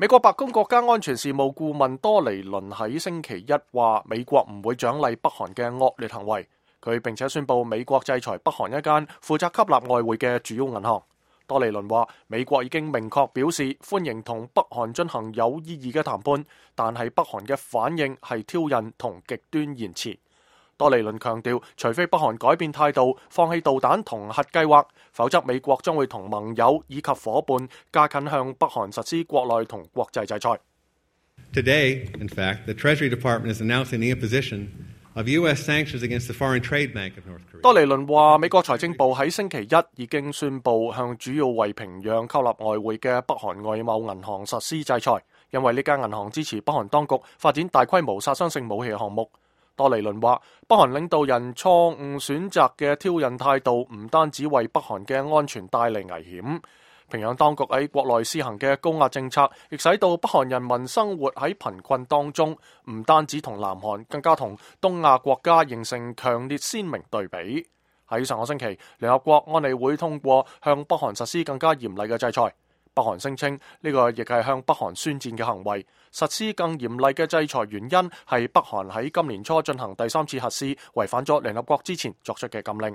美國白宮國家安全事務顧問多尼倫喺星期一話，美國唔會獎勵北韓嘅惡劣行為。佢並且宣布美國制裁北韓一間負責吸納外匯嘅主要銀行。多尼倫話，美國已經明確表示歡迎同北韓進行有意義嘅談判，但係北韓嘅反應係挑釁同極端言辭。多尼倫強調，除非北韓改變態度，放棄導彈同核計劃，否則美國將會同盟友以及伙伴加緊向北韓實施國內同國際制裁。Today, in fact, the Treasury Department is announcing the imposition of U.S. sanctions against the Foreign Trade Bank of North Korea. 多尼倫話，美國財政部喺星期一已經宣布向主要為平壤吸納外匯嘅北韓外貿銀行實施制裁，因為呢間銀行支持北韓當局發展大規模殺傷性武器項目。多尼倫話，北韓領導人錯誤選擇嘅挑釁態度唔單止為北韓嘅安全帶嚟危險，平壤當局喺國內施行嘅高壓政策，亦使到北韓人民生活喺貧困當中，唔單止同南韓，更加同東亞國家形成強烈鮮明對比。喺上個星期，聯合國安理會通過向北韓實施更加嚴厲嘅制裁。北韓聲稱呢個亦係向北韓宣戰嘅行為，實施更嚴厲嘅制裁原因係北韓喺今年初進行第3次核試，違反咗聯合國之前作出嘅禁令。